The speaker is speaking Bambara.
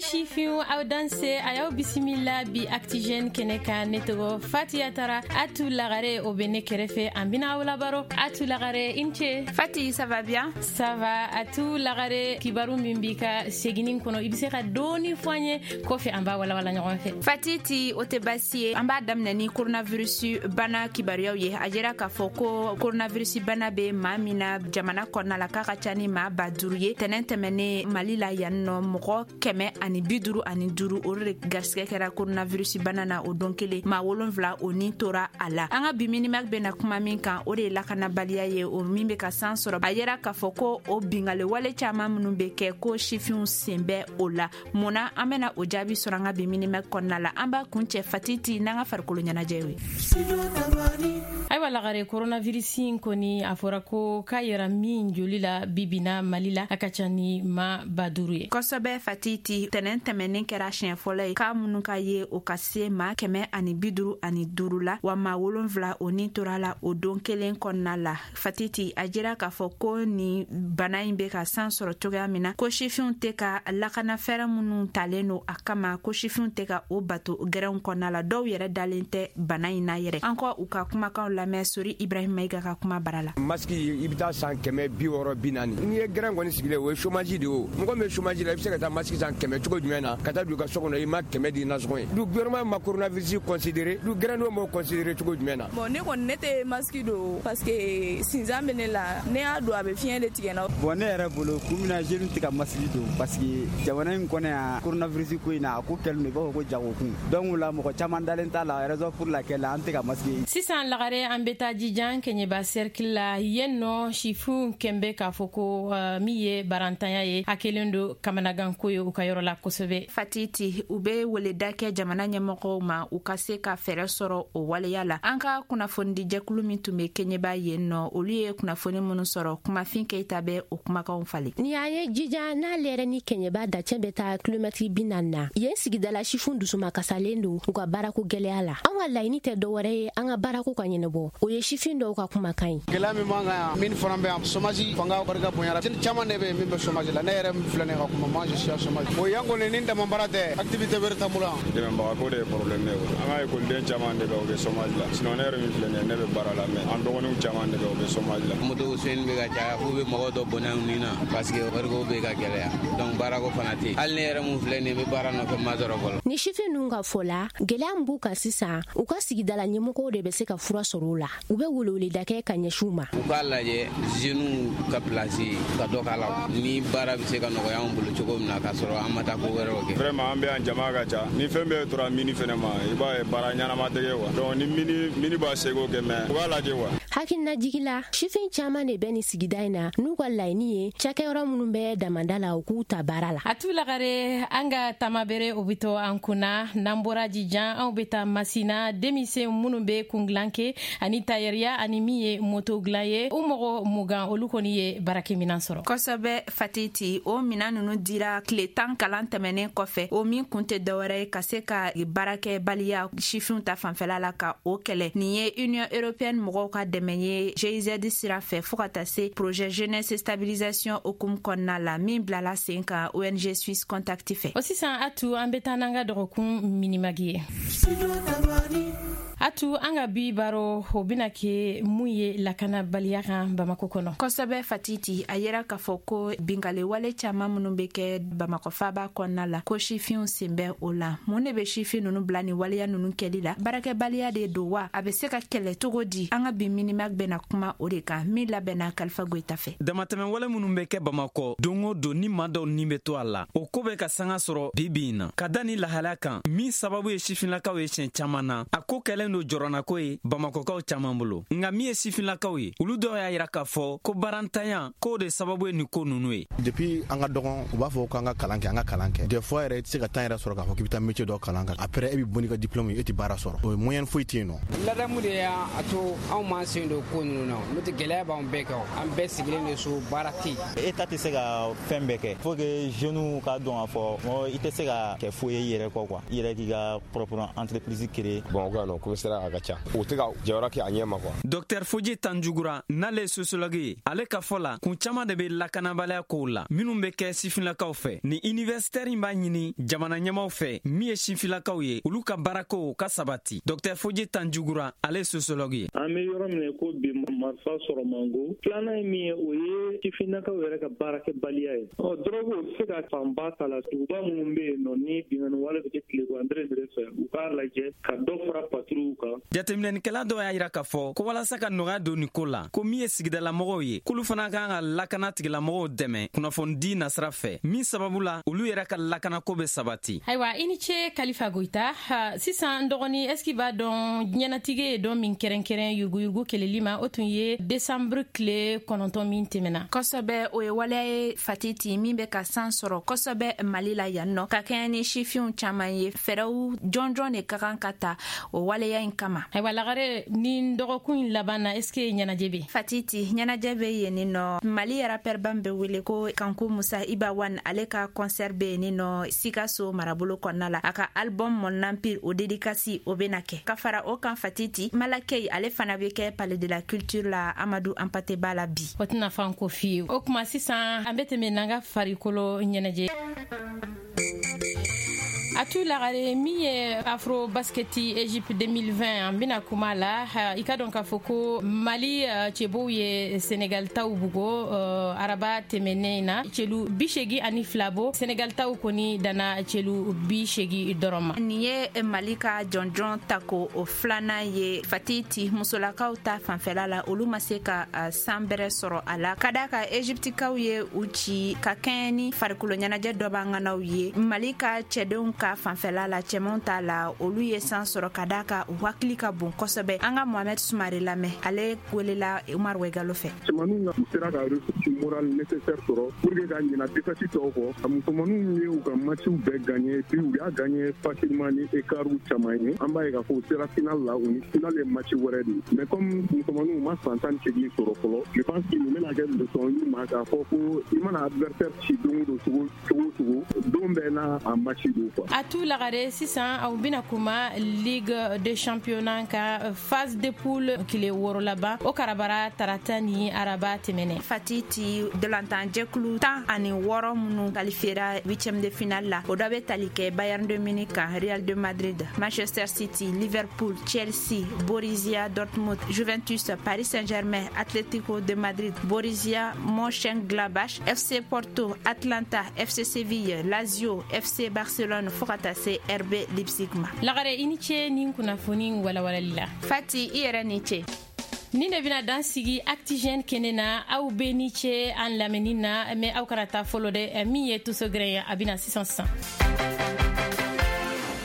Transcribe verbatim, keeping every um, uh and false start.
Sifinw, aw danse, a y'aw bisimila bi Actu Jeunes kɛnɛ kan. Ne tɔgɔ Fatiya Tara. Atu Lagare, o bɛ ne kɛrɛfɛ, an bɛna aw labaro. Atu Lagare, i ni ce. Fati, ça va bien? Ça va. Atu Lagare, kibaru min b'i ka seginin kɔnɔ, i bɛ se ka dɔɔni fɔ an ye, kɔfɛ an b'a walawala ɲɔgɔn fɛ. Fati ti, o tɛ baasi ye. An b'a daminɛ ni coronavirus bana kibaruyaw ye. A jira k'a fɔ ko coronavirus bana bɛ maa min na jamana kɔnɔna la, k'a ka ca ni maa ba duuru ye. Tɛnɛn tɛmɛnen, Mali la yan nɔ, mɔgɔ kɛmɛ ani bi duuru ani duuru, olu de garisɛgɛ kɛra coronavirus bana na o don kelen. Maa wolonfila, o ni tora a la. An ka bi Minimag bɛna kuma min kan, o de ye lakanabaliya ye, o min bɛ ka san sɔrɔ. A yera k'a fɔ ko o bingale wale caman minnu bɛ kɛ, ko sifinw sen bɛ o la. Mun na? An bɛna o jaabi sɔrɔ an ka bi Minimag kɔnɔna la. An b'a kun cɛ, Fatiti, n'an ka farikolo ɲɛnajɛ ye. Ayiwa Lagare, coronavirus in kɔni, a fɔra ko k'a yɛrɛ min joli la bibina Mali la, a ka ca ni ma ba duuru ye. Kosɛbɛ Fatiti, tɛnɛn tɛmɛnen kɛra siɲɛ fɔlɔ ye k'a minnu ka ye o ka se maa kɛmɛ ani bi duuru ani duuru la, wa maa wolonfila, o ni tora la o don kelen kɔnɔna la. Fatiti, a jira k'a fɔ ko nin bana in bɛ ka san sɔrɔ cogoya min na, ko sifinw tɛ ka lakana fɛɛrɛ minnu talen don a kama, ko sifinw tɛ ka o bato gɛrɛnw kɔnɔna la. Dɔw yɛrɛ dalen tɛ bana in na yɛrɛ. An kɔ u ka kumakanw lamɛn Sori Ibrahim Mayiga ka kuma bara la. Masque, i bɛ taa san kɛmɛ bi wɔɔrɔ, bi naani. N'i ye gɛrɛn kɔni sigilen, o ye chômage de ye. O mɔgɔ min bɛ chômage la, i bɛ se ka taa masque san kɛmɛ cogo jumɛn na ka taa don i ka so kɔnɔ, i ma kɛmɛ di nasɔngɔ ye? Du gouvernement ma coronavirus considéré, du gɛrɛndenw m'o considéré cogo jumɛn na? Bon, ne kɔni, ne tɛ masque don parce que sinzan bɛ ne la. Ne y'a don, a bɛ fiɲɛ de tigɛ n na. Bon, ne yɛrɛ bolo, kun min na jeunes tɛ ka masque don, parce que jamana in kɔnɔ yan, coronavirus ko in na, a ko kɛlen don i b'a fɔ ko jagokun. Donc o la, mɔgɔ caman dalen t'a la, raison pour laquelle an tɛ ka masque. Sisan Lagare, an bɛ taa Jijan Kɛɲɛba cercle la. Yen nɔ, sifinw kɛn bɛ k'a fɔ ko uh, min ye barantanya ye, a kɛlen don kamanaganko ye u ka yɔrɔ la kosɛbɛ. Fatiti, u bɛ weleda kɛ jamana ɲɛmɔgɔw ma, u ka se ka fɛɛrɛ sɔrɔ o waleya la. An ka kunnafonidijɛkulu min tun bɛ Kɛɲɛba yen nɔ, olu ye kunnafoni minnu sɔrɔ, Kumafin Keyita bɛ o kumakanw falen. Ni an ye Jija n'ale yɛrɛ ni Kɛɲɛba dacɛ bɛ taa kilomɛtiri bi naani na, yen sigidala sifin dusuma kasalen don u ka baarako gwɛlɛya la. An ka laɲini tɛ dɔwɛrɛ ye, an ka baarako ka ɲɛnabɔ. O ye sifin dɔw ka kumakan ye. Gɛlɛya min b'an kan yan, min fana bɛ yan, chômage fanga barika bonyara. Caman de bɛ yen min bɛ chômage la. Ne yɛrɛ min filɛ nin ye ka kuma, moi je suis chômage. O yan kɔni, ni dama baara tɛ, activité wɛrɛ t'an bolo yan. Dɛmɛbagako de ye problème ye. An ka ekɔliden caman de bɛ, o bɛ chômage la. Sinon ne yɛrɛ min filɛ nin ye, ne bɛ baara la, mais an dɔgɔninw caman de bɛ, o bɛ chômage la. Moto sonyɛni bɛ ka caya, f'u bɛ mɔgɔw dɔ bɔnɛ u ni na, parce que wariko bɛ ka gɛlɛya, donc baarako fana tɛ yen. Hali ne yɛrɛ mun filɛ nin ye, n bɛ baara nɔfɛ, ma sɔrɔ fɔlɔ. Ni sifin ninnu ka fɔ la, gwɛlɛya min b'u kan sisan, u ka sigidala ɲɛmɔgɔw de bɛ se ka fura sɔrɔ o la. U bɛ weleweleda kɛ ka ɲɛsin u ma. U k'a lajɛ jeunes ka place ka dɔ k'a la, ni baara bɛ se ka nɔgɔya anw bolo cogo min na, k'a sɔrɔ an ma taa ko wɛrɛw kɛ. Vraiment, an bɛ yan, jama ka ca ni fɛn bɛɛ tora mini fɛnɛ ma, i b'a ye baara ɲɛnama tɛ kɛ quoi. Donc ni mini mini b'a seko kɛ, mais u k'a lajɛ quoi. Hakilinajigi la, sifin caaman de bɛ nin sigida in na n'u ka laɲini ye cakɛyɔrɔ minnu bɛ damanda la, u k'u ta baara la. A tu Lagare, an ka tamabere, o bɛ to an kunna. N'an bɔra Jijan, anw bɛ taa Masina. Denmisɛn minnu bɛ kungilan kɛ ani tayɛriya ani min ye moto dilan ye, u mɔgɔ mugan, olu kɔni ye baarakɛminan sɔrɔ. Kosɛbɛ Fatiti, o minan nunu dira tile tan kalan tɛmɛnen kɔfɛ, o min kun tɛ dɔwɛrɛ ye ka se ka baarakɛbaliya sifinw ta fanfɛla la, ka o kɛlɛ. Nin ye Union européenne mɔgɔw ka dɛmɛ ye G I Z sira fɛ, fɔɔ ka taa se projet jeunesse stabilisation hukumu kɔnɔna la, min bilala sen kan O N G Suisse Contact fɛ. O sisan Atu, an bɛ taa n'an ka dɔgɔkun Minimag ye. Atu, an ka bi baro, o bena kɛ mun ye lakanabaliya kan Bamako kɔnɔ? Kosɛbɛ Fatiti, a yera k'a fɔ ko bingale wale caaman minnu be kɛ Bamakɔ faba kɔnɔna la, ko sifinw sen bɛ o la. Mun de be sifin nunu bila ni waleya nunu kɛli la? Baarakɛbaliya de don wa? A be se ka kɛlɛ cogo di? An ka bi Minimag bena kuma o de kan, min labɛnna Kalifa Goyita fɛ. Damatɛmɛ wale minnu bɛ kɛ Bamakɔ don o don, ni maa dɔw nin bɛ to a la, o ko bɛ ka sanga sɔrɔ bi bi in na ka da ni lahalaya kan min sababu ye sifinlakaw ye siɲɛ caaman na. A ko kɛlen don jɔrɔnako ye Bamakɔkaw caaman bolo. Nka min ye sifinlakaw ye, olu dɔw y'a yira k'a fɔ ko barantanya k'o de sababu ye nin ko nunu ye. Depuis an ka dɔgɔn, u b'a fɔ k'an ka kalan kɛ, an ka kalan kɛ. Des fois yɛrɛ, i tɛ se ka temps yɛrɛ sɔrɔ k'a fɔ k'i bɛ taa métier dɔ kalan kan. Après, e bɛ bɔ n'i ka diplôme ye, e tɛ baara sɔrɔ, o ye moyen foyi tɛ yen nɔ. Ladamu de y'a to anw m'an sen don ko ninnu na, n'o tɛ gɛlɛya b'anw bɛɛ kan. An bɛɛ sigilen de so, baara tɛ yen. État tɛ se ka fɛn bɛɛ kɛ. Faut que jeunes ka dɔn k'a fɔ mɔgɔ i tɛ se ka kɛ foyi ye i yɛrɛ kɔ quoi, i yɛrɛ k'i ka propre entreprise créer. Bon, ko non, ko bɛ sira a ka ca, u tɛ ka jɔyɔrɔ kɛ a ɲɛ ma quoi. Docteur Foji Tanjugura, n'ale ye sociologue ye, ale ka fɔ la, kun caman de bɛ lakanabaliya kow la minnu bɛ kɛ sifinlakaw fɛ. Ni universitaire in b'a ɲini jamana ɲɛmaw fɛ, min ye sifinlakaw ye, olu ka baarakow ka sabati. Docteur Foji Tanjugura, ale ye sociologue ye. An bɛ yɔrɔ min ko bi, marifa sɔrɔ mango. Filanan ye min ye, o ye sifinnakaw yɛrɛ ka baarakɛbaliya ye. Ɔ, dɔrɔgu, o tɛ se ka fanba ta la. Duguba minnu bɛ yen nɔ, ni binkanni wale bɛ kɛ tile andre fɛ, u k'a lajɛ ka dɔ fara patrouille kan. Jateminɛnikɛla dɔw y'a yira k'a fɔ ko walasa ka nɔgɔya don nin ko la, ko min ye sigidalamɔgɔw ye, k'olu fana kan ka lakana tigilamɔgɔw dɛmɛ kunnafonidi nasira fɛ, min sababu la olu yɛrɛ ka lakanako bɛ sabati. Ayiwa, i ni ce, Kalifa Goyita. Sisan, n dɔgɔni, est ce que b'a dɔn diɲɛnatigɛ ye dɔn min kɛrɛnkɛrɛn yuruguyurugu kɛlɛli ma? O tun ye desanburu tile kɔnɔntɔn min tɛmɛna. Kosɛbɛ, o ye waleya ye, Fatiti, min bɛ ka san sɔrɔ kosɛbɛ Mali la yan nɔ, ka kɛɲɛ ni sifinw caman ye. Fɛɛrɛw jɔnjɔn de ka kan ka ta o waleya in kama. Ayiwa Lagare, ni dɔgɔkun in laban na, est ce que ɲɛnajɛ bɛ? Fatiti, ɲɛnajɛ bɛ yen nɔ. Mali rapɛrba bɛ wele ko Kanku Musa Iba One, ale ka concert bɛ yen nɔ Sikaso marabolo kɔnɔna la. A ka album Mon Empire, o dédicace o bɛna kɛ. Ka fara o kan, Fatiti, Malakei, ale fana bɛ kɛ Palais de la Culture la, Amadu Hampâté Bâ la bi. O tɛna fan ko f'i ye. O kuma sisan, an bɛ tɛmɛ n'an ka farikolo ɲɛnajɛ. A tu Lagare, min ye Afro Basketi Egypte deux mille vingt, an bɛna kuma la. I ka dɔn k'a fɔ ko Mali cɛbow ye Senegal taw bugo araba tɛmɛnen na, celu bi segi ani fila bo. Senegal taw kɔni danna celu bi segi dɔrɔn ma. Nin ye Mali ka jɔnjɔn tako o filanan ye, Fatiti. Musolakaw ta fanfɛla la, olu ma se ka san bɛrɛ sɔrɔ a la, ka da ka Egyptikaw ye u ci ka kɛɲɛ ni farikolo ɲɛnajɛ dɔ b'an ŋanaw ye. Mali ka cɛdenw ka fanfɛla la, cɛmanw t'a la, olu ye san sɔrɔ ka da ka u hakili ka bon kosɛbɛ. An ka Mohamɛd Sumare lamɛn, ale welela Umar Wegalo fɛ. Cɛmaninw u sera ka ressource morale nécessaire sɔrɔ pour que ka ɲina défaite tɔw kɔ. A musomaninw ye u ka matchw bɛɛ gagné, puis u y'a gagné facilement ni écart caman ye. An b'a ye k'a fɔ u sera finale la, u ni finale ye match wɛrɛ de ye. Mais comme musomaninw ma san tan ni seegin sɔrɔ fɔlɔ, je pense que nin bɛna kɛ leçon y'u ma k'a fɔ ko i mana adversaire ci don o don, cogo cogo cogo, don bɛɛ n'a a match don quoi. A tu Lagare, sisan aw bɛna kuma Ligue de championnat ka phase de poule tile wɔɔrɔ laban, o karabara tarata ni araba tɛmɛnɛ. Fatiti, dolantan jɛkulu tan ani wɔɔrɔ minnu qualifiera huitième de finale la, o dɔ bɛ tali kɛ Bayern de Munich kan, Real de Madrid, Manchester City, Liverpool, Chelsea, Borussia Dortmund, Juventus, Paris Saint-Germain, Atlético de Madrid, Borussia Mönchengladbach, F C Porto, Atlanta, F C Séville, Lazio, F C Barcelone, fo ka taa se R B Leipzig ma. Lagare, i ni ce ni kunnafoni walawalali la. Fati, i yɛrɛ ni ce. Ni de bɛna dan sigi Actu Jeunes kɛnɛ na. Aw bɛ ni ce an lamɛnni na, mais aw kana taa fɔlɔ dɛ. Min ye Tusogɛrɛ ye, a bɛna sisan sisan.